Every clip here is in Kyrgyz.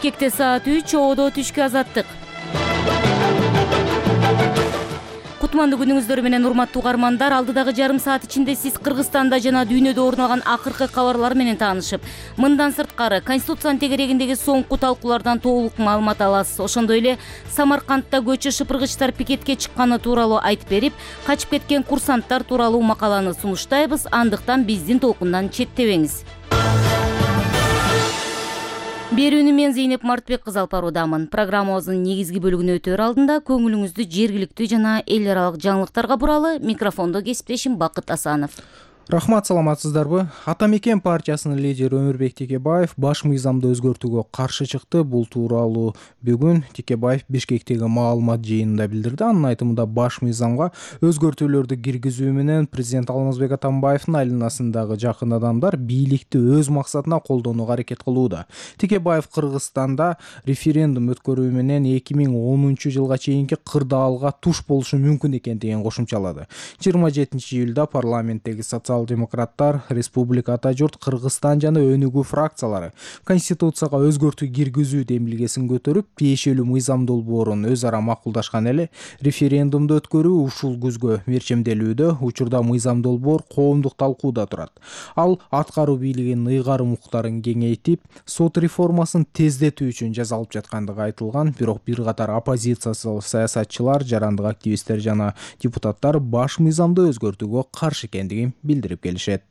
Бишкекте саат 3, Оодо түшкү азаттык. Кутмандуу күнүңүздөр менен урматтуу угармандар, алдыдагы жарым саат ичинде сиз Кыргызстанда жана дүйнөдө орун алган акыркы кабарлар менен таанышып, мындан сырткары Конституциянын тегерегиндеги соңку талкуулардан толук маалымат аласыз. Ошондой эле Самаркандта көчө шыпыргычтар пикетке чыкканы тууралуу айтып берип, качып кеткен курсанттар тууралуу макаланы сунуштайбыз. Андыктан биздин толкундан четтебеңиз. Берүүнү мен Зейнеп Мартбек кызы алып баруудамын. Программабыздын негизги бөлүгүнө өтөр алдында көңүлүңүздү жергиликтүү жана эл аралык жаңылыктарга буралы. Микрофондо кесиптешим Бакыт Асанов. Рахмат, саламатсыздарбы? Ата мекен партиясынын лидери Өмүрбек Текебаев баш мыйзамды өзгөртүүгө каршы чыкты. Бул тууралуу бүгүн Текебаев Бишкектеги маалымат жыйынында билдирди. Анын айтымында баш мыйзамга өзгөртүүлөрдү киргизүү менен президент Алмазбек Атамбаевдин айланасындагы жакын адамдар бийликти өз максатына колдонууга аракет кылууда. Текебаев Кыргызстанда референдум өткөрүү менен 2010-жылга чейинки кырдаалга туш болушу мүмкүн экендигин кошумчалады. 27-июлда парламенттеги социал-демократтар, Республика Ата журт, Кыргызстан жана Өнүгүү фракциялары Конституцияга өзгөртүү киргизүү демилгесин көтөрүп, тиешелүү мыйзам долбоорун өз ара макулдашкан эле. Референдумду өткөрүү ушул күзгө мерчемделүүдө. Учурда мыйзам долбоор коомдук талкууда турат. Ал аткаруу бийлигинин ыйгарым укуктарын кеңейтип, сот реформасын тездетүү үчүн жасалып жаткандыгы айтылган. Бирок бир катар оппозициялык саясатчылар, жарандык активисттер жана депутаттар баш мыйзамды өзгөртүүгө каршы экендигин билдирип келишет.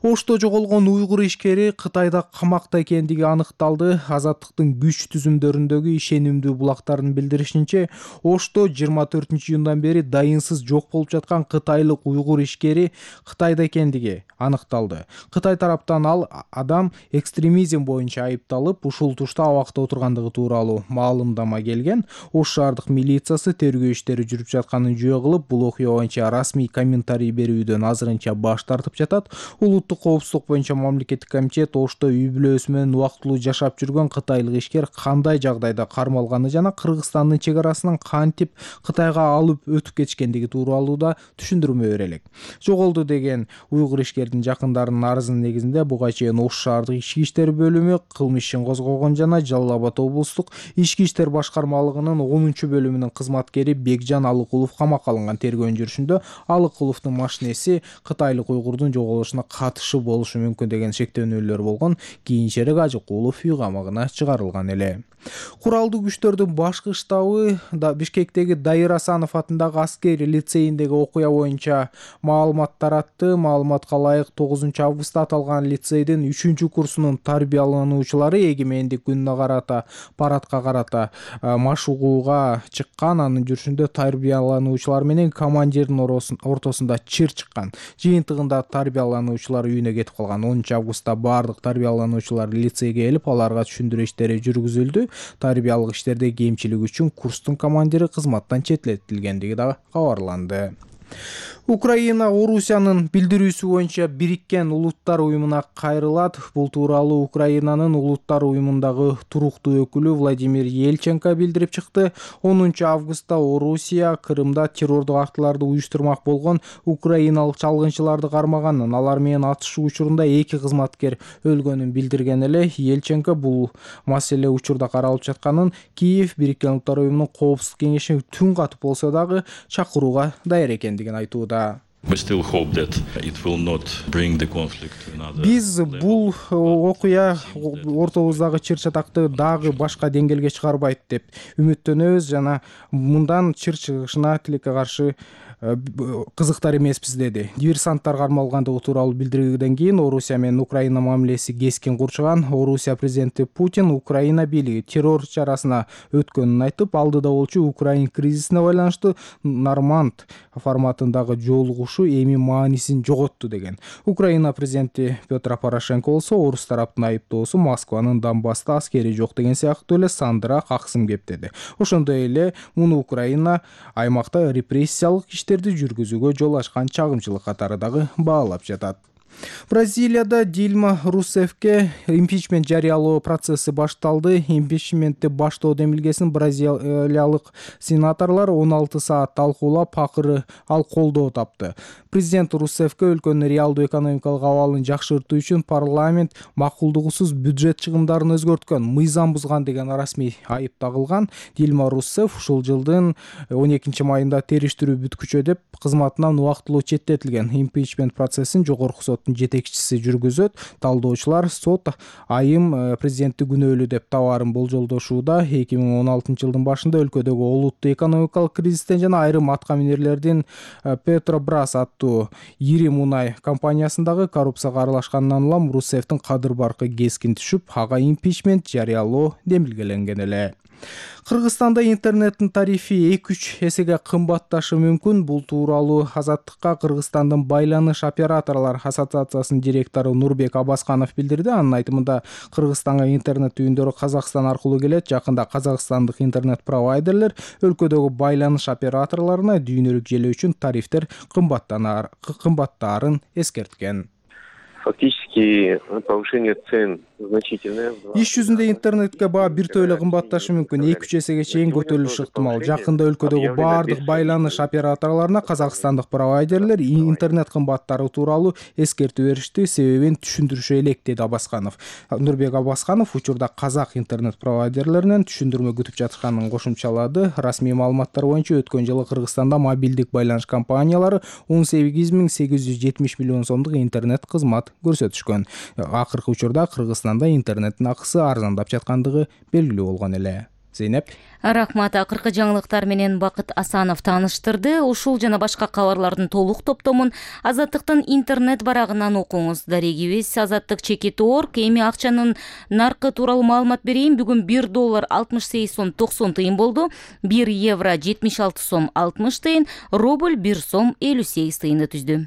Ошто жоголгон уйгур ишкери Кытайда камакта экендиги аныкталды. Азаттыктын күч түзүмдөрүндөгү ишенимдүү булактардын билдиришинче, Ошто 24-июндан бери дайынсыз жок болуп жаткан кытайлык уйгур ишкери Кытайда экендиги аныкталды. Кытай тараптан ал адам экстремизм боюнча айыпталып, ушул тушта абакта отургандыгы тууралуу маалымдама келген. Ош шаардык милициясы тергөө иштери жүрүп жатканын жөө кылып, бул окуя боюнча расмий комментарий берүүдөн азырынча баш тартып жатат. Улуттук коопсуздук боюнча мамлекеттик комитет Ошто үй бүлөсү менен убактылуу жашап жүргөн кытайлык ишкер кандай жагдайда кармалганы жана Кыргызстандын чек арасынан кантип Кытайга алып өтүп кетишкендиги тууралуу да түшүндүрмө берелек. Жоголду деген уйгур ишкердин жакындарынын арызынын негизинде буга чейин Ош шаардык ички иштер бөлүмү кылмыш ишин козгогон жана Жалал Абад облустук ички иштер башкармалыгынын 10-бөлүмүнүн кызматкери Бекжан Алыкулов камакка алынган. Тергөөнүн жүрүшүндө Алыкуловдун машинеси кытайлык уйгурдун жоголушуна катышы болушу мүмкүн деген шектөөнөлөр болгон. Кийинчерээк Ажыкулов үй камагына чыгарылган эле. Куралдуу күчтөрдүн башкы штабы Бишкектеги Дайыр Асанов атындагы аскери лицейиндеги окуя боюнча маалымат таратты. Маалыматка ылайык 9-августта аталган лицейдин 3-курсунун тарбиялануучулары эгемендик күнүнө карата парадка карата машыгууга чыккан. Анын жүрүшүндө тарбиялануучулар менен командирдин ортосунда чыр чыккан. Жыйынтыгында тарбиялануучулар үйүнө кетип калган. 10-августта бардык тарбиялануучулар лицейге келип, аларга түшүндүрүү иштери жүргүзүлдү. Тарбиялык иштерде кемчилик үчүн курстун командири кызматтан чететилгендиги да кабарланды. Украина Орусиянын билдирүүсү боюнча Бириккен Улуттар уюмуна кайрылат. Бул тууралуу Украинанын Улуттар уюмундагы туруктуу өкүлү Владимир Ельченко билдирип чыкты. 10-августта Орусия Крымда террордук актыларды уюштурмак болгон украиналык чалгынчыларды кармаганын, алар менен атышуу учурунда 2 кызматкер өлгөнүн билдирген эле. Ельченко бул маселе учурда каралып жатканын, Киев Бириккен Улуттар уюмунун коопсуздук кеңешине түн катып болсо дагы чакырууга даяр экендигин айтууда. Биз бул окуя ортобуздагы чыр-чатакты дагы башка деңгээлге чыгарбайт деп үмүттөнөбүз жана мындан чыр чыгышына тилекке каршы кызыктар эмеспиз, деди. Диверсанттар кармалгандыгы тууралуу билдирүүдөн кийин Орусия менен Украина мамилеси кескин курчуган. Орусия президенти Путин Украина бийлиги террор чарасына өткөнүн айтып, алдыда болчу Украин кризисине байланыштуу Норманд форматындагы жолугушуу эми маанисин жоготту деген. Украина президенти Петр Порошенко болсо орус тараптын айыптоосу Москванын Донбасста аскери жок деген сыяктуу эле сандыраак аксым кептеди. Ошондой эле муну Украина аймакта репрессиялык иштерди жүргүзүүгө жол ачкан чагымчылык катары дагы баалап жатат. Бразилияда Дильма Русеффке импичмент жарыялоо процесси башталды. Импичментти баштоо демилгесин бразилиялык сенаторлор 16 саат талкуулап, акыры ал колдоо тапты. Президент Русеффке өлкөнүн реалдуу экономикалык абалын жакшыртуу үчүн парламент макулдугусуз бюджет чыгымдарын өзгөрткөн, мыйзам бузган деген расмий айып тагылган. Дильма Русефф ушул жылдын 12-майында териштирүү бүткүчө деп кызматынан убактылуу четтетилген. Импичмент процессин жогорку соттун жетекчиси жүргүзөт. Талдоочулар сот айым президентти күнөөлүү деп табаарын болжолдошууда. 2016 жылдын башында өлкөдөгү олуттуу экономикалык кризистен жана айрым атка минерлердин Петробрас аттуу ири мунай компаниясындагы коррупцияга аралашканынан улам Русеффтин кадыр баркы кескин түшүп, ага импичмент жарыялоо демилгеленген эле. Кыргызстанда интернеттин тарифи 2-3 эсеге кымбатташы мүмкүн. Бул тууралуу Азаттыкка Кыргызстандын байланыш операторлор ассоциациясынын директору Нурбек Абасканов билдирди. Анын айтымында, Кыргызстанга интернет түйүндөрү Казакстан аркылуу келет. Жакында казакстандык интернет провайдерлер өлкөдөгү байланыш операторлоруна дүйнөлүк желе үчүн тарифтер кымбаттаарын эскерткен. Фактически повышение цен значительное. Иш жүзүндө интернетке баа биртөө эле кымбатташы мүмкүн, 2-3 эсеге чейин көтөрүлүшү ыктымал. Жакында өлкөдөгү баардык байланыш операторлоруна казакстандык провайдерлер интернет кымбаттары тууралуу эскертүү беришти, себебин түшүндүрүшө элек, деди Абасканов. Нурбек Абасканов учурда казак интернет провайдерлеринен түшүндүрмө күтүп жатканын кошумчалады. Расмий маалыматтар боюнча өткөн жылы Кыргызстанда мобилдик байланыш компаниялары 18.870 миллион сомдук интернет кызмат көрсөтүшкөн. Акыркы учурда Кыргызстанда интернеттин акысы арзандап жаткандыгы белгилүү болгон эле. Зейнеп. Рахмат. Акыркы жаңылыктар менен Бакыт Асанов тааныштырды. Ушул жана башка кабарлардын толук топтомун Азаттыктын интернет барагынан окуңуз. Дарегибиз azattik.org. Эми акчанын наркы тууралуу маалымат берейин. Бүгүн $1 68 сом 90 тыйын болду. 1 евро 76 сом 60 тыйын, рубль 1 сом 58 тыйынды түздү.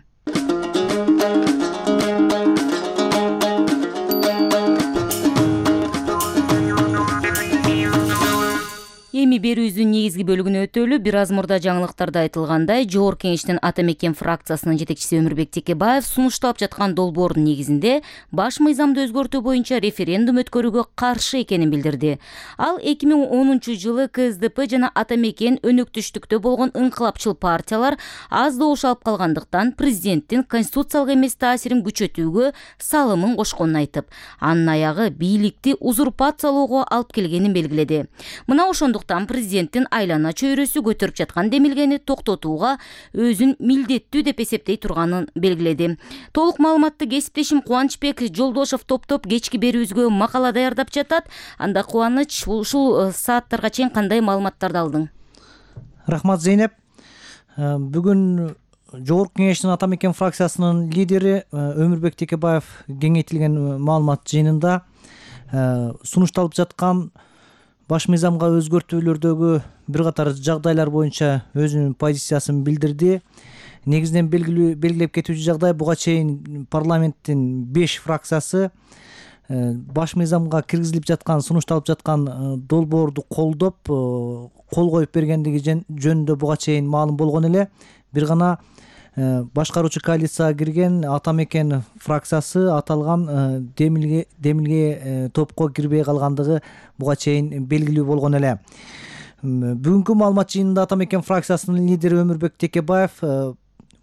Эми берүүбүздүн негизги бөлүгүнө өтөлү. Бир аз мурда жаңылыктарда айтылгандай, Жогорку Кеңештин Ата Мекен фракциясынын жетекчиси Өмүрбек Текебаев сунушталып жаткан долбоордун негизинде баш мыйзамды өзгөртүү боюнча референдум өткөрүүгө каршы экенин билдирди. Ал 2010 жылы КСДП жана Ата Мекен өнөктүштүктө болгон ыңкылапчыл партиялар аз добуш алып калгандыктан президенттин конституциялык эмес таасирин күчөтүүгө салымын кошконун айтып, анын аягы бийликти узурпациялоого алып келгенин белгиледи. Мына ошондуктан президенттин айлана чөйрөсү көтөрүп жаткан демилгени токтотууга өзүн милдеттүү деп эсептей турганын белгиледи. Толук маалыматты кесиптешим Кубанычбек Жолдошов топтоп кечки берүүбүзгө макала даярдап жатат. Анда Кубаныч, ушул сааттарга чейин кандай маалыматтарды алдың? Рахмат, Зейнеп. Бүгүн Жогорку Кеңештин Ата Мекен фракциясынын лидери Өмүрбек Текебаев кеңейтилген маалымат жыйынында сунушталып жаткан баш мыйзамга өзгөртүүлөрдөгү бир катар жагдайлар боюнча өзүнүн позициясын билдирди. Негизинен белгилеп кетүүчү жагдай, буга чейин парламенттин 5 фракциясы баш мыйзамга киргизилип жаткан, сунушталып жаткан долбоорду колдоп, кол коюп бергендиги жөнүндө буга чейин маалым болгон эле. Бир гана башкаруучу коалицияга кирген Ата Мекен фракциясы аталган демилге топко кирбей калгандыгы буга чейин белгилүү болгон эле. Бүгүнкү маалымат жыйынында Ата Мекен фракциясынын лидери Өмүрбек Текебаев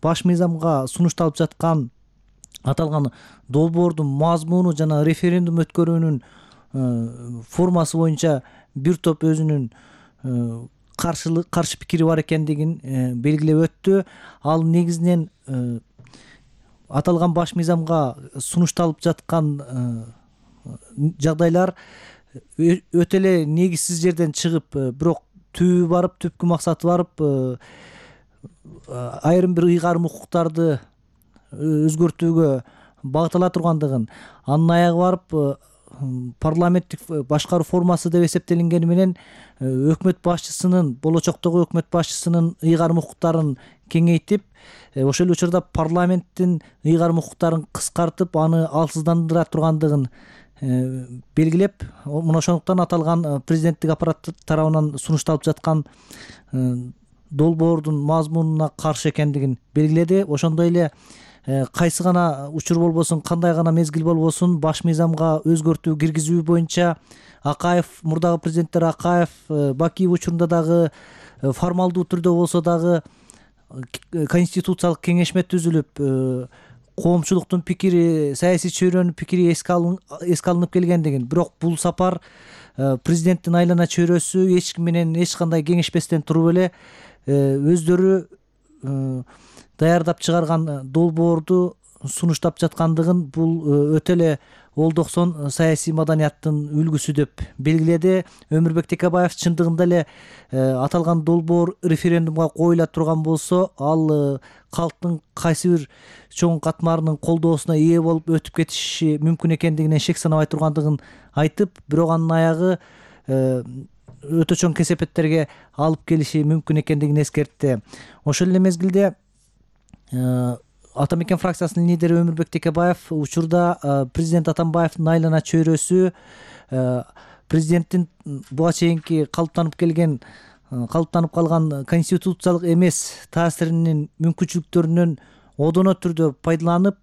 баш мыйзамга сунушталып жаткан аталган долбоордун мазмуну жана референдум өткөрүүнүн формасы боюнча бир топ өзүнүн каршы пикири бар экендигин белгилеп өттү. Ал негизинен аталган баш мыйзамга сунушталып жаткан жагдайлар өтө эле негизсиз жерден чыгып, бирок түбү барып, түпкү максаты барып, айрым бир ыйгарым укуктарды өзгөртүүгө багыттала тургандыгын, анын аягы барып парламенттик башкаруу формасы деп эсептелингени менен өкмөт башчысынын, болочоктогу өкмөт башчысынын ыйгарым укуктарын кеңейтип, ошол эле учурда парламенттин ыйгарым укуктарын кыскартып, аны алсыздандыра тургандыгын белгилеп, мына ошондуктан аталган президенттик аппарат тарабынан сунушталып жаткан долбоордун мазмунуна каршы экендигин белгиледи. Ошондой эле кайсы гана учур болбосун, кандай гана мезгил болбосун баш мыйзамга өзгөртүү киргизүү боюнча Акаев, мурдагы президенттер Акаев, Бакиев учурунда дагы формалдуу түрдө болсо дагы конституциялык кеңешме түзүлүп, коомчулуктун пикири, саясий чөйрөнүн пикири эске алынып келген деген. Бирок бул сапар президенттин айлана чөйрөсү эч ким менен эч кандай кеңешпестен туруп эле өздөрү даярдап чыгарган долбоорду сунуштап жаткандыгын бул өтө эле олдоксон саясий маданияттын үлгүсү деп белгиледи. Өмүрбек Текебаев чындыгында эле аталган долбоор референдумга коюла турган болсо, ал калктын кайсы бир чоң катмарынын колдоосуна ээ болуп өтүп кетиши мүмкүн экендигинен шек санабай тургандыгын айтып, бирок анын аягы өтө чоң кесепеттерге алып келиши мүмкүн экендигин эскертти. Ошол эле мезгилде Ата мекен фракциясынын лидери Өмүрбек Текебаев учурда президент Атамбаевдин айлана чөйрөсү президенттин буга чейинки калыптанып калган конституциялык эмес таасиринин мүмкүнчүлүктөрүнөн одоно түрдө пайдаланып,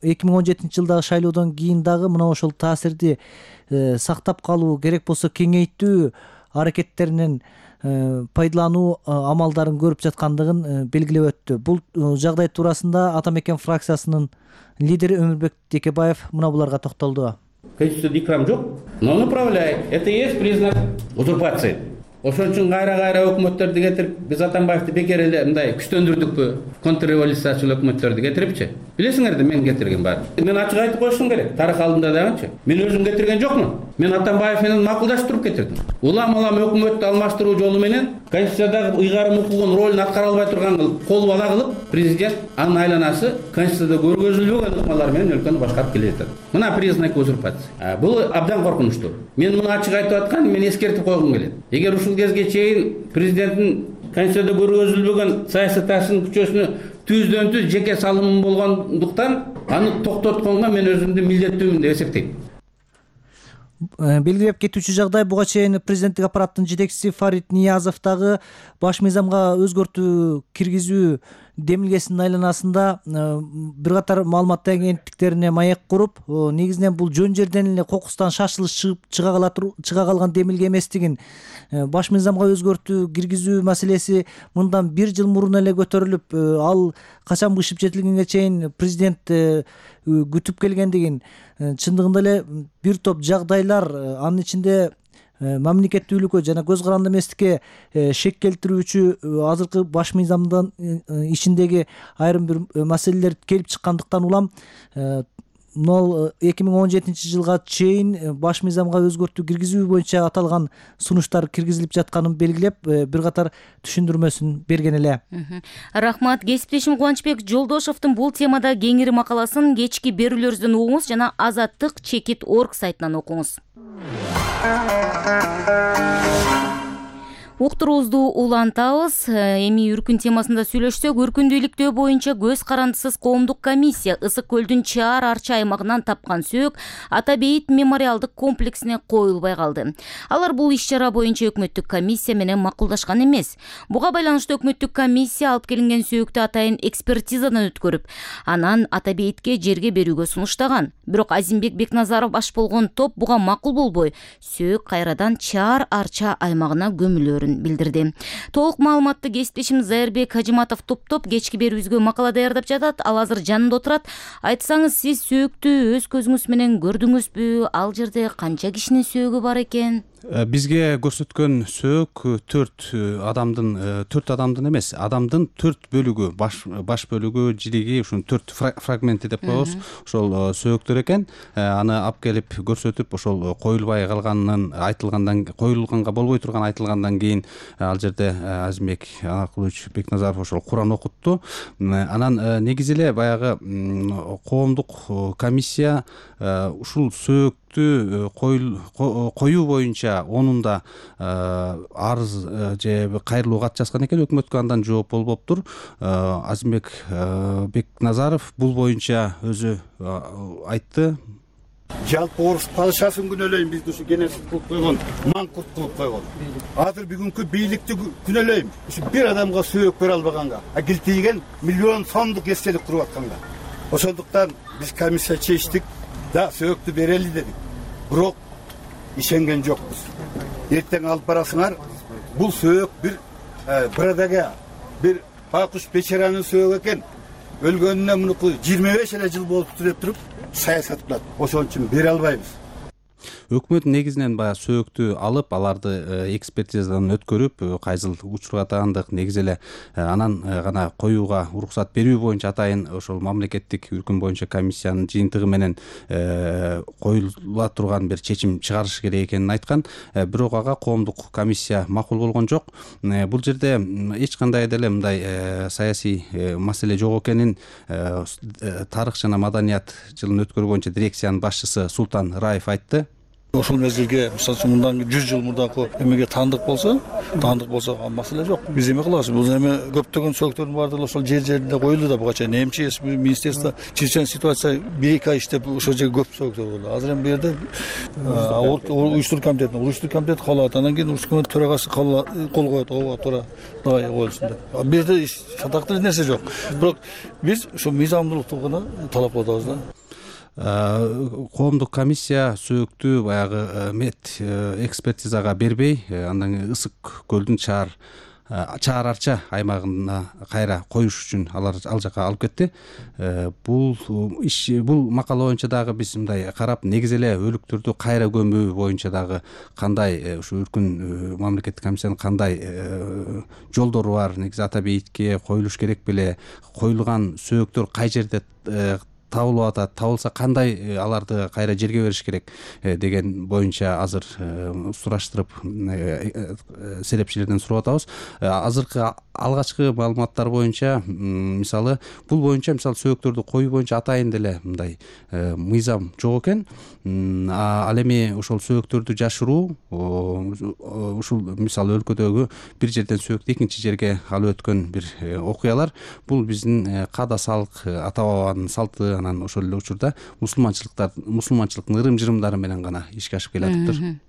2017 жылдагы шайлоодон кийин дагы мына ошол таасирди сактап калуу, керек болсо кеңейтүү аракеттеринен пайдалануу амалдарын көрүп жаткандыгын белгилеп өттү. Бул жагдай туурасында Ата мекен фракциясынын лидери Өмүрбек Текебаев мына буларга токтолду. Конституцияда икрам жок, но он управляет. Это и есть признак узурпации. Ошон үчүн кайра өкмөттөрдү кетирип, биз Атамбаевди бекер эле мындай күчтөндүрдүкпү, контрреволюциячыл өкмөттөрдү кетирипчи. Билесиңерди мен кетирген баары. Мен ачык айтып коюшум керек. Тарых алдында дагычы. Мен өзүм кетирген жокмун. Мен Атамбаев менен макулдашып туруп кетирдим. Улам өкмөттү алмаштыруу жолу менен Конституциядагы ыйгарым укугун ролун аткара албай турган кол бала кылып, президент анын айланасы Конституцияда көргөзүлбөгөн ыкмалар менен өлкөнү башкарып келе жатат. Мына признак узурпации. Бул абдан коркунучтуу. Мен муну ачык айтып атканым, мен эскертип койгум келет. Эгер ушул кезге чейин президенттин Конституцияда көргөзүлбөгөн саясий таасиринин күчөсүнө түздөн түз жеке салымым болгондуктан аны токтотконго мен өзүмдү милдеттүүмүн деп эсептейм. Белгилеп кетүүчү жагдай, буга чейин президенттик аппараттын жетекчиси Фарид Ниязов дагы баш мыйзамга өзгөртүү киргизүү демилгесинин айланасында бир катар маалымат агенттиктерине маек куруп, негизинен бул жөн жерден эле кокустан шашылыш чыга калган демилге эместигин, баш мыйзамга өзгөртүү киргизүү маселеси мындан 1 жыл мурун эле көтөрүлүп, ал качан бышып жетилгенге чейин президент күтүп келгендигин, чындыгында эле бир топ жагдайлар, анын ичинде мамлекеттүүлүккө жана көз каранды эместикке шек келтирүүчү азыркы баш мыйзамдын ичиндеги айрым бир маселелер келип чыккандыктан улам 2017 жылга чейин баш мыйзамга өзгөртүү киргизүү боюнча аталган сунуштар киргизилип жатканын белгилеп, бир катар түшүндүрмөсүн берген эле. Рахмат. Кесиптешим Кубанычбек Жолдошовдун бул темада кеңири макаласын кечки берүүлөрүбүздөн угуңуз жана Азаттык.org сайтынан окуңуз. Уктуруубузду улантабыз. Эми үркүн темасында сүйлөшсөк, үркүндүүлүктөө боюнча көз карандысыз коомдук комиссия Ысык көлдүн Чаар арча аймагынан тапкан сөөк Ата бейит мемориалдык комплексине коюлбай калды. Алар бул иш-чара боюнча өкмөттүк комиссия менен макулдашкан эмес. Буга байланыштуу өкмөттүк комиссия алып келинген сөөктү атайын экспертизадан өткөрүп, анан Ата бейитке жерге берүүгө сунуштаган. Бирок Азимбек Бекназаров баш болгон топ буга макул болбой, сөөк кайрадан Чаар арча аймагына көмүлөөрүн билдирди. Толук маалыматты кесиптешим Зайырбек Хажиматов топтоп кечки берүүбүзгө макала даярдап жатат. Ал азыр жанында отурат. Айтсаңыз, сиз сөөктү өз көзүңүз менен көрдүңүзбү? Ал жерде канча кишинин сөөгү бар экен? Бизге көрсөткөн сөök 4 адамдын эмес, адамдын 4 бөлүгү, баш бөлүгү, жириги, ушун 4 фрагменти деп коебуз. Ошол сөөктөр экен. Аны алып келип көрсөтүп, ошол коюлбай калганын айтылгандан, коюлганга болбой турган айтылгандан кийин ал жерде Азимбек Анакулович Бекназаров ошол Куран окутту. Анан негизи эле баягы коомдук комиссия ушул сөөктү коюу боюнча онунда арыз же кайрылуу кат жазган экен, өкмөткө андан жооп болбоптур. Азимбек Бекназаров бул боюнча өзү айтты. Жалпы орус падышасын күнөөлөйм, бизди ушу геноцид кылып койгон, маңкурт кылып койгон. Азыр бүгүнкү бийликти күнөөлөйм, ушу бир адамга сөөк бере албаганга, килтийген миллион сомдук эстелик туруп атканга. Ошондуктан биз комиссия чечтик, да сөөктү берели дедик. Бирок ишенген жокпуз. Эртең алып барасыңар, бул сөөк бир адага бир байкуш бечаранын сөөгү экен. Өлгөнүнө мунуку 25 эле жыл болуп деп туруп саясат кылат. Ошон үчүн бере албайбыз. Өкмөт негизинен баягы сөөктү алып, аларды экспертизадан өткөрүп, кайсыл учурга атагандык, негизи эле анан гана коюуга уруксат берүү боюнча атайын ошол мамлекеттик үркүм боюнча комиссиянын жыйынтыгы менен коюла турган бир чечим чыгарыш керек экенин айткан. Бирок ага коомдук комиссия макул болгон жок. Бул жерде эч кандай деле мындай саясий маселе жок экенин тарых жана маданият жылын өткөрүү боюнча дирекциянын башчысы Султан Раев айтты. Ошол мезгилге, мисалы үчүн мындан 100 жыл мурдакы эмеге таандык болсо, маселе жок. Биз эме кылабыз. Бул эме көптөгөн сөөктөрдүн баардыгы ошол жер-жеринде коюлду да буга чейин. МЧС министерство чрезвычайный ситуация 1-2 ай иштеп ошол жерге көп сөөктөр болду. Азыр эми бу жерде уюштуруу комитети кабыл алат. Андан кийин уюштуруу комитети төрагасы кол коет, ооба туура коюлсун деп. Бу жерде сатактуу нерсе жок. Бирок биз ошо мыйзамдуулукту гана талап кылып атабыз да. Коомдук комиссия сөөктү баягы мед экспертизага бербей, андан Ысык көлдүн чаар арча аймагына кайра коюш үчүн ал жака алып кетти. Бул макала боюнча дагы биз мындай карап, негизи эле өлүктөрдү кайра көмүү боюнча дагы кандай ушу үркүн мамлекеттик комиссиянын кандай жолдору бар, негизи ата бейитке коюлуш керек беле, коюлган сөөктөр кай жерде табылып атат, табылса кандай аларды кайра жерге бериш керек деген боюнча азыр сураштырып серепчилерден сурап атабыз. Азыркы алгачкы маалыматтар боюнча, мисалы бул боюнча сөөктөрдү коюу боюнча атайын деле мындай мыйзам жок экен. Ал эми ошол сөөктөрдү жашыруу, ушул мисалы өлкөдөгү бир жерден сөөктү экинчи жерге алып өткөн бир окуялар, бул биздин каада салык ата бабанын салты, анан ошол эле учурда мусулманчылыктын ырым-жырымдары менен гана ишке ашып келатыптыр.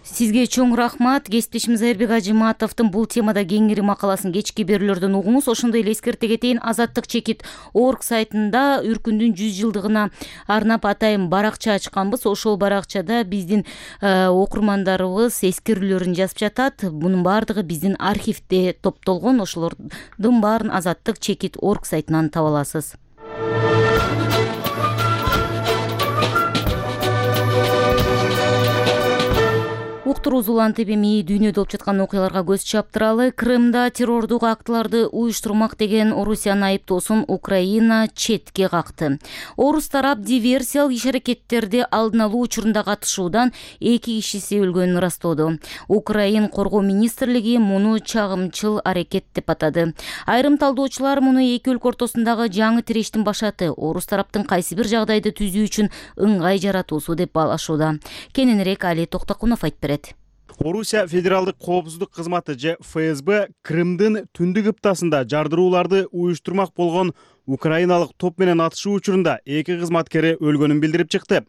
Сизге чоң рахмат. Кесиптешimiz Айырбек Ажыматовдун бул темада кеңири макаласын кечки берүүлөрдөн угуңуз. Ошондой эле эскерте кетейин, Азаттык чекит org сайтында үркүндүн 100 жылдыгына арнап атайын баракча ачканбыз. Ошол баракчада биздин окурмандарыбыз эскерүүлөрүн жазып жатат. Бунун баардыгы биздин архивде топтолгон. Ошолордун баарын Азаттык чекит org сайтынан таба аласыз. Уктуруз улан ТВ дүйнөдө болуп жаткан окуяларга көз чаптыралы. Крымда террордук актыларды уюштурмак деген Орусиянын айыптоосун Украина четке какты. Орус тарап диверсиялык иш-аракеттерди алдын алуу учурунда катышуудан 2 кишиси өлгөнүн ырастоодо. Украин коргоо министрлиги муну чагымчыл аракет деп атады. Айрым талдоочулар муну эки өлкө ортосундагы жаңы тирештин башаты, Орус тараптын кайсы бир жагдайды түзүү үчүн ыңгай жаратуусу деп баалашууда. Кененирээк Али Токтокунов айтып берет. Орусия федералдык коопсуздук кызматы же ФСБ Крымдын түндүк ыптасында жардырууларды уюштурмак болгон украиналык топ менен атышуу учурунда 2 кызматкери өлгөнүн билдирип чыкты.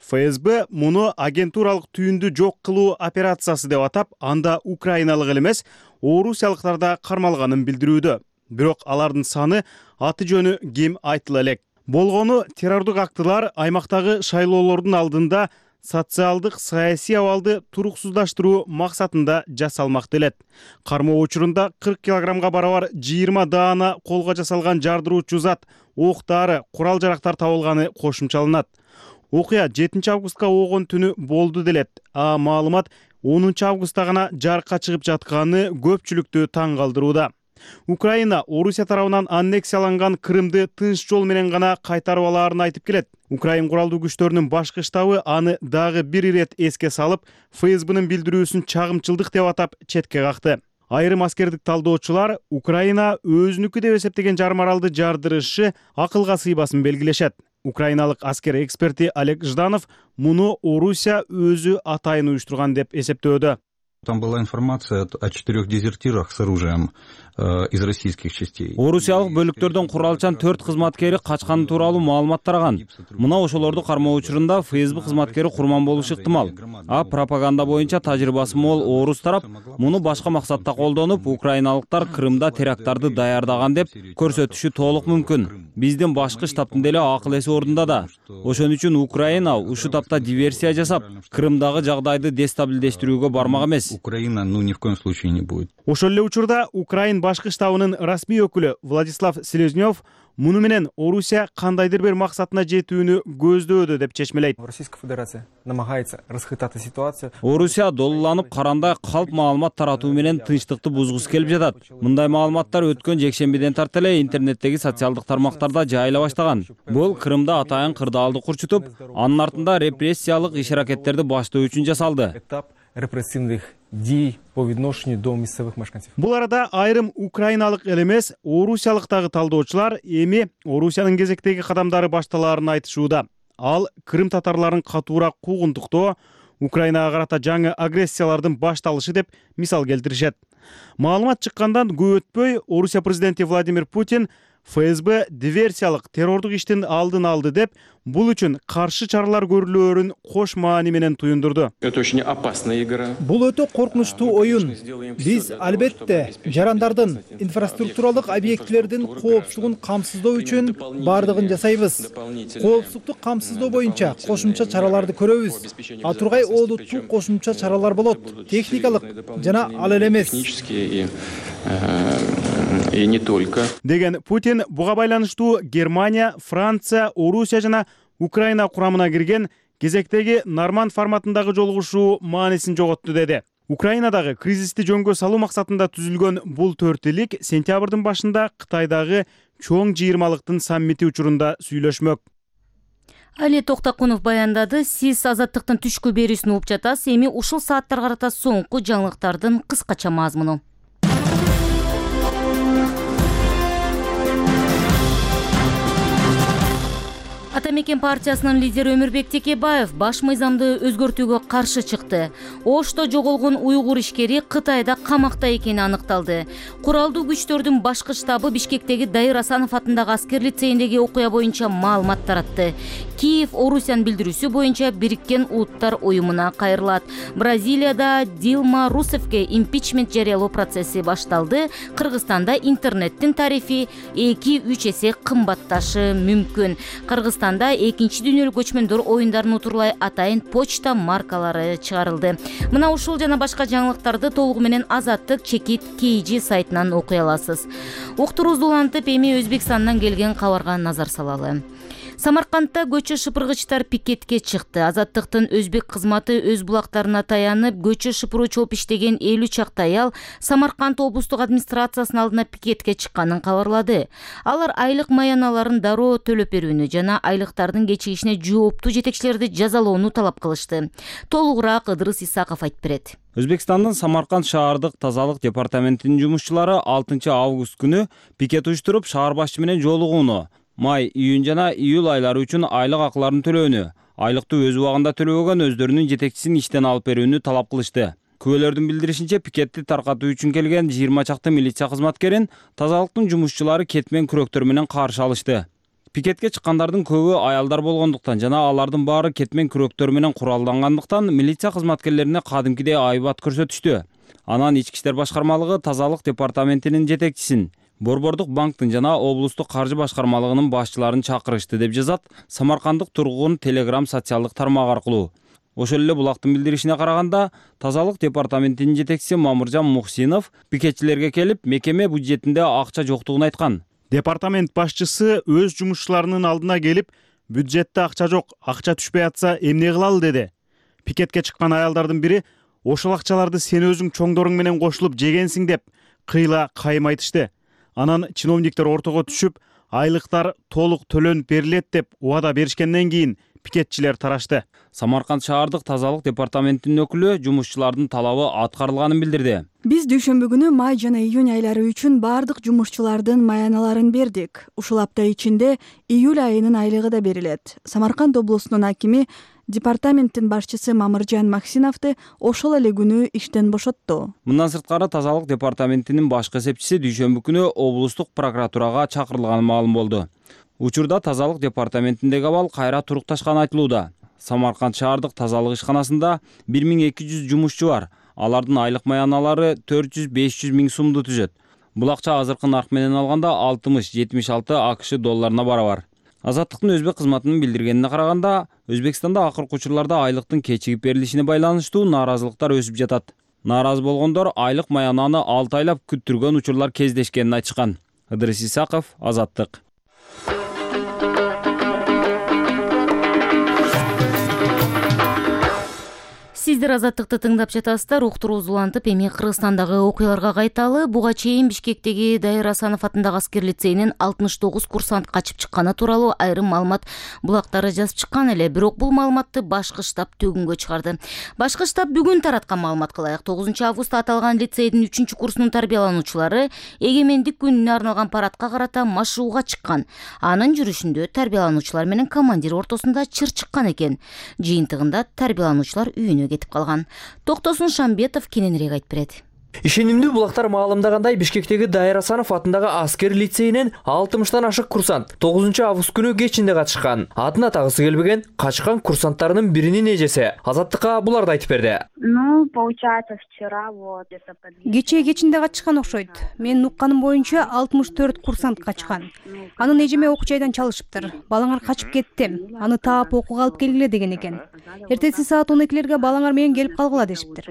ФСБ муну агентуралык түйүндү жок кылуу операциясы деп атап, анда украиналык эле эмес, орусиялыктар да кармалганын билдирүүдө. Бирок алардын саны, аты жөнү ким айтыла элек. Болгону террордук актылар аймактагы шайлоолордун алдында социалдык саясий абалды туруксуздаштыруу максатында жасалмак делет. Кармоо учурунда 40 килограммга барабар 20 даана колго жасалган жардыруучу зат, оқ-дары, курал-жарактар табылганы кошумчаланат. Окуя 7 августка оогон түнү болду делет. Маалымат 10 августта гана жарыкка чыгып жатканы көпчүлүктү таң калтырууда. Украина Орусия тарабынан аннексияланган Крымды тынч жол менен гана кайтарып алаарын айтып келет. Украин куралдуу күчтөрүнүн башкы штабы аны дагы бир ирет эске салып, ФСБнын билдирүүсүн чагымчылдык деп атап четке какты. Айрым аскердик талдоочулар Украина өзүнүкү деп эсептеген жарым аралды жардырышы акылга сыйбасын белгилешет. Украиналык аскер эксперти Олег Жданов муну Орусия өзү атайын уюштурган деп эсептөөдө. Там была информация о 4 дезертирах с оружием из российских частей. Орусиялык бөлүктөрдөн куралчан 4 кызматкери качканы тууралуу маалымат тараган. Мына ошолорду кармоо учурунда ФСБ кызматкери курман болушу ыктымал. А пропаганда боюнча тажрыйбасы мол орус тарап муну башка максатта колдонуп, украиналыктар Крымда теракттарды даярдаган деп көрсөтүшү толук мүмкүн. Биздин башкы штабтын деле акыл эси ордунда да. Ошон үчүн Украина ушул тапта диверсия жасап, Крымдагы жагдайды дестабилдештирүүгө бармак эмес. Украина, ни в коем случае не будет. Ошол эле учурда Украин башкы штабынын расмий өкүлү Владислав Селезнёв муну менен Орусия кандайдыр бир максатына жетүүнү көздөөдө деп чечмелейт. Российская Федерация намагается расхитать ситуацию. Орусия долуланып карандай калп маалымат таратуу менен тынчтыкты бузгусу келип жатат. Мындай маалыматтар өткөн жекшембиден тарта эле интернеттеги социалдык тармактарда жайыла баштаган. Бул Крымда атайын кырдаалды курчутуп, анын артында репрессиялык иш-аракеттерди баштоо үчүн жасалды. Этап репрессивных действий по відношенню до місцевих мешканців. Бул арада айрым украиналык эле эмес, орусиялыктагы талдоочулар эми Орусиянын кезектеги кадамдары башталаарын айтышууда. Ал Крым татарларын катуураак куугунтуктоо, Украинага карата жаңы агрессиялардын башталышы деп мисал келтиришет. Маалымат чыккандан көп өтпөй Орусия президенти Владимир Путин ФСБ диверсиялык террордук иштин алдын алды деп, бул үчүн каршы чаралар көрүлөөрүн кош маани менен туюндурду. Это очень опасная игра. Бул өтө коркунучтуу оюн. Биз албетте жарандардын инфраструктуралык объектилердин коопсуздугун камсыздоо үчүн бардыгын жасайбыз. Коопсуздукту камсыздоо боюнча кошумча чараларды көрөбүз. А тургай олуттуу кошумча чаралар болот. Техникалык жана ал эле эмес. И не только. Деген Путин буга байланыштуу Германия, Франция, Орусия жана Украина курамына кирген кезектеги Норманд форматындагы жолугушуу маанисин жоготту деди. Украинадагы кризисти жөнгө салуу максатында түзүлгөн бул төртүлик сентябрдын башында Кытайдагы чоң жыйырмалыктын саммити учурунда сүйлөшмөк. Али Токтакунов баяндады. Сиз Азаттыктын түшкү берүүсүн угуп жатасыз. Эми ушул сааттарга карата соңку жаңылыктардын кыскача мазмуну. Атамекен партиясынын лидери Өмүрбек Текебаев баш мыйзамды өзгөртүүгө каршы чыкты. Ошто жоголгон уйгур ишкери Кытайда камакта экени аныкталды. Куралдуу күчтөрдүн башкы штабы Бишкектеги Дайыр Асанов атындагы аскер лицейиндеги окуя боюнча маалымат таратты. Киев Орусиянын билдирүүсү боюнча Бириккен Улуттар уюмуна кайрылат. Бразилияда Дилма Русефке импичмент жарыялоо процесси башталды. Кыргызстанда интернеттин тарифи 2-3 эсе кымбатташы мүмкүн. Кыргызстанда экинчи дүйнөлүк көчмөндөр оюндарын утурлай атайын почта маркалары чыгарылды. Мына ушул жана башка жаңылыктарды толугу менен Азаттык чекит KG сайтынан окуй аласыз. Уктурубузду улантып, эми Өзбекстандан келген кабарга назар салалы. Самаркандта көчө шыпыргычтар пикетке чыкты. Азаттыктын өзбек кызматы өз булактарына таянып, көчө шыпыруу чоп иштеген 50 чакты аял Самарканд облустук администрациясынын алдына пикетке чыкканын кабарлады. Алар айлык маяналарын дароо төлөп берүүнү жана айлыктардын кечигишине жооптуу жетекчилерди жазалоону талап кылышты. Толугураак Ыдырыс Исаков айтып берет. Өзбекстандын Самарканд шаардык тазалык департаментинин жумушчулары 6 август күнү пикет уюштуруп, шаар башчы менен жолугууну, май, июнь жана июль айлары үчүн айлык акыларын төлөөнү, айлыкты өз убагында төлөбөгөн өздөрүнүн жетекчисин иштен алып берүүнү талап кылышты. Күбөлөрдүн билдиришинче, пикетти таркатуу үчүн келген 20 чакты милиция кызматкерин тазалыктын жумушчулары кетмен күрөктөр менен каршы алышты. Пикетке чыккандардын көбү аялдар болгондуктан жана алардын баары кетмен күрөктөр менен куралдангандыктан милиция кызматкерлерине кадимкидей айбат көрсөтүштү. Анан Ички иштер башкармалыгы тазалык департаментинин жетекчисин, Борбордук банктын жана облустук каржы башкармалыгынын башчыларын чакырышты деп жазат Самаркандык тургун Telegram социалдык тармак аркылуу. Ошол эле булактын билдиришине караганда, тазалык департаментинин жетекчиси Мамыржан Мухсинов пикетчилерге келип, мекеме бюджетинде акча жоктугун айткан. Департамент башчысы өз жумушчуларынын алдына келип, бюджетте акча жок, акча түшпөй атса эмне кылалы деди. Пикетке чыккан аялдардын бири ошол акчаларды сен өзүң чоңдоруң менен кошулуп жегенсиң деп кыйла кайым айтышты. Анан чиновниктер ортого түшүп, айлыктар толук төлөнүп берилет деп убада беришкенден кийин пикетчилер тарашты. Самарканд шаардык тазалык департаментинин өкүлү жумушчулардын талабы аткарылганын билдирди. Биз дүйшөмбү күнү май жана июнь айлары үчүн бардык жумушчулардын маяналарын бердик. Ушул апта ичинде июль айынын айлыгы да берилет. Самарканд облусунун акими Департаменттин башчысы Мамыржан Максиновду ошол эле күнү иштен бошотту. Мындан сырткары тазалык департаментинин башкы эсепчиси дүйшөмбү күнү облустук прокуратурага чакырылганы маалым болду. Учурда тазалык департаментиндеги абал кайра турукташканы айтылууда. Самарканд шаардык тазалык ишканасында 1200 жумушчу бар. Алардын айлык маяналары 400-500 миң сумду түзөт. Бул акча азыркы нарк менен алганда 60-76 АКШ долларына барабар. Азаттыктын өзбек кызматынын билдиргенине караганда, Өзбекстанда акыркы учурларда айлыктын кечигип берилишине байланыштуу нааразылыктар өсүп жатат. Нааразы болгондор айлык маянаны 6 айлап күттүргөн учурлар кездешкенин айтышкан. Ыдырыс Исаков, Азаттык. Сиздер Азаттыкты тыңдап жатасыздар. Уктурубуз улантып, эми Кыргызстандагы окуяларга кайталы. Буга чейин Бишкектеги Дайыр Асанов атындагы аскер лицейинен 69 курсант качып чыкканы тууралуу айрым маалымат булактары жазып чыккан эле. Бирок бул маалыматты башкы штаб төгүнгө чыгарды. Башкы штаб бүгүн тараткан маалыматка ылайык 9 августта аталган лицейдин 3-курсунун тарбиялануучулары эгемендик күнүнө арналган парадка карата машууга чыккан. Анын жүрүшүндө тарбиялануучулар менен командир ортосунда чыр чыккан экен. Жыйынтыгында тарбиялануучулар үйүнө кетип калган. Токтосун Шамбетов кененирээк айтып берет. Ишенимдүү булактар маалымдагандай Бишкектеги Дайыр Асанов атындагы аскер лицейинен 60-тан ашык курсант 9 август күнү кечинде катышкан. Атын атагысы келбеген качкан курсанттарынын биринин эжеси Азаттыкка буларды айтып берди. Получается, вчера вот это Кечээ кечинде качкан окшойт. Менин укканым боюнча 64 курсант качкан. Анын эжеме окуу жайдан чалышыптыр. Балаңар качып кетти. Аны таап окууга алып келгиле деген экен. Эртеси саат 12-лерге балаңар менен келип калгыла дешиптир.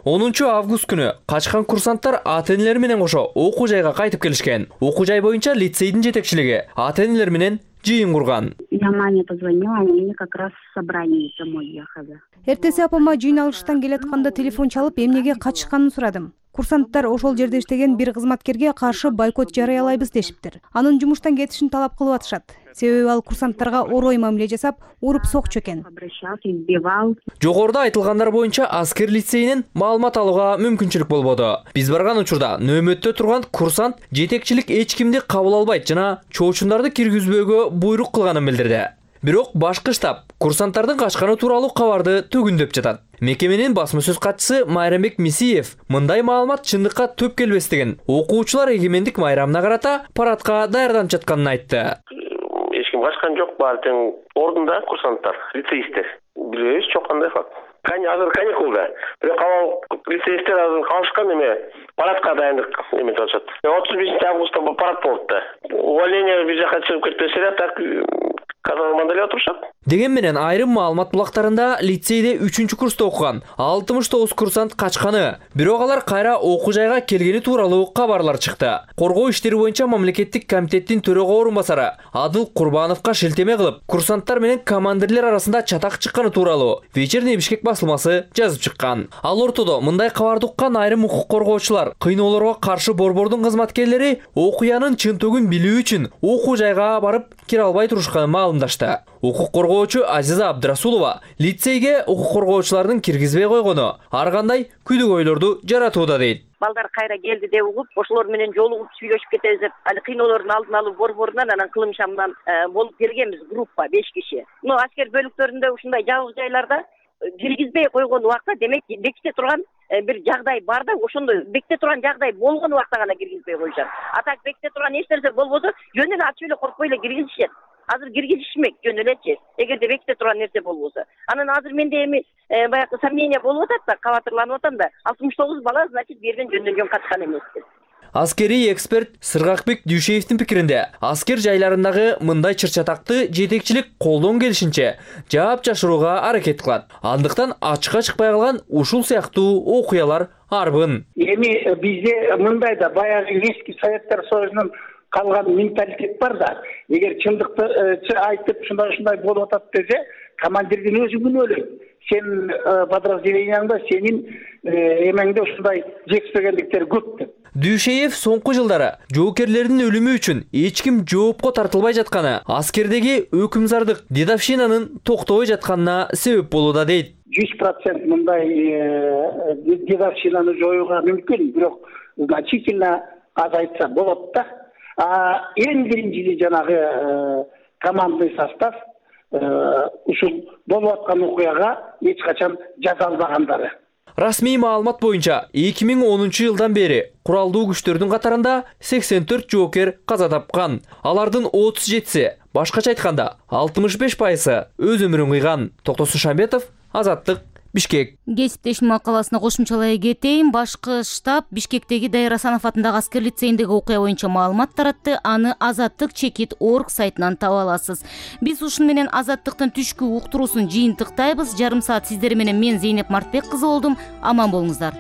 10 август күнү качкан курсанттар ата-энелери менен кошо окуу жайга кайтып келишкен. Окуу жай боюнча лицейдин жетекчилиги ата-энелер менен жыйын курган. Я маме позвонила, они как раз в собрание домой ехали. Эртеси апама жыйын алыштан келатканда телефон чалып, эмнеге качышканын сурадым. Курсанттар ошол жерде иштеген бир кызматкерге каршы бойкот жарыялайбыз дешиптир. Анын жумуштан кетишин талап кылып атышат. Себеби ал курсанттарга орой мамиле жасап, уруп сокчу экен. Жогоруда айтылгандар боюнча аскер лицейинен маалымат алууга мүмкүнчүлүк болбоду. Биз барган учурда нөөмөттө турган курсант жетекчилик эч кимди кабыл албайт жана чоочундарды киргизбөөгө буйрук кылганын билдирди. Бирок башкы штаб курсанттардын качканы тууралуу кабарды төгүндөп жатат. Мекеменин басма сөз катчысы Майрамбек Мисиев мындай маалымат чындыкка төп келбестигин, окуучулар эгемендик майрамына карата парадка даярданып жатканын айтты. Эч ким качкан жок, баары тең ордунда курсанттар, лицеисттер. Билбейбиз, жок кандай факт. Азыр каникулда. Бирок лицеисттер азыр калышкан эме парадка дайындык эметип атышат. 35 августта парад болот да. Увольнение бир жака чыгып кетпесе эле так казармада отурушат. Деген менен айрым маалымат булактарында лицейде 3-курста окуган 69 курсант качканы, бирок алар кайра окуу жайга келгени тууралуу кабарлар чыкты. Коргоо иштери боюнча мамлекеттик комитеттин төрөгө орун басары Адыл Курбановго шилтеме кылып, курсанттар менен командирлер арасында чатак чыкканы тууралуу Вечерний Бишкек басылмасы жазып чыккан. Ал ортодо мындай кабарды уккан айрым укук коргоочулар кыйноолорго каршы борбордун кызматкерлери окуянын чынтөгүн билүү үчүн окуу жайга барып кире албай турушканын маалымдашты. Укук коргоочу Азиза Абдрасулова лицейге укук коргоочулардын киргизбей койгону ар кандай күдүк ойлорду жаратууда дейт. Балдар кайра келди деп угуп, ошолор менен жолугуп сүйлөшүп кетебиз деп, али кыйноолордун алдын алуу борборунан анан кылым шамдан болуп келгенбиз группа 5 киши. Аскер бөлүктөрүндө ушундай жабык жайларда киргизбей койгон убакта, демек беките турган бир жагдай бар да, ошондой беките турган жагдай болгон убакта гана киргизбей коюшат. А так беките турган эч нерсе болбосо, жөн эле ачып эле коркпой эле киргизишет. Азыр киргизишмек жөн элечи, эгерде беките турган нерсе болбосо. Анан азыр менде эми баягы сомнение болуп атат да, кабатырланып атам да. 69 бала, значит, берген жөндөн качкан эмес деп. Аскери эксперт Сыргакбек Дүйшеевдин пикиринде, аскер жайларындагы мындай чыр-чатакты жетекчилик колдон келишинче жаап жашырууга аракет кылат. Андыктан ачыкка чыкпай калган ушул сыяктуу окуялар арбын. Эми бизде мындай да баягы эски Советтер Союзунун калган менталитет бар да. Эгер чындыкты айтып ушундай болуп атат десе, командирдин өзү күнөөлөйт. Сен подразделенияңда сенин эмеңде ушундай жетишпегендиктер көп деп. Дүйшеев соңку жылдары жоокерлердин өлүмү үчүн эч ким жоопко тартылбай жатканы, аскердеги өкүмзардык дедовщинанын токтобой жатканына себеп болууда дейт. 100% мындай дедовщинаны жоюуга мүмкүн, бирок значительно азайтса болот да. Эң биринчиси жанагы командный состав, ушул болуп аткан окуяга эч качан жазалбагандары. Расмий маалымат боюнча 2010 жылдан бери куралдуу күчтөрдүн катарында 84 жоокер каза тапкан. Алардын 37си, башкача айтканда 65% өз өмүрүн кыйган. Токтосун Шамбетов, Азаттык, Бишкек. Кесиптешим макаласына кошумчалай кетейин. Башкы штаб Бишкектеги Дайыр Асанов атындагы аскер лицейиндеги окуя боюнча маалымат таратты. Аны Азаттык Чекит.org сайтынан таба аласыз. Биз ушун менен Азаттыктын түшкү уктуруусун жыйынтыктайбыз. Жарым саат сиздер менен мен Зейнеп Мартбек кызы болдум. Аман болуңуздар.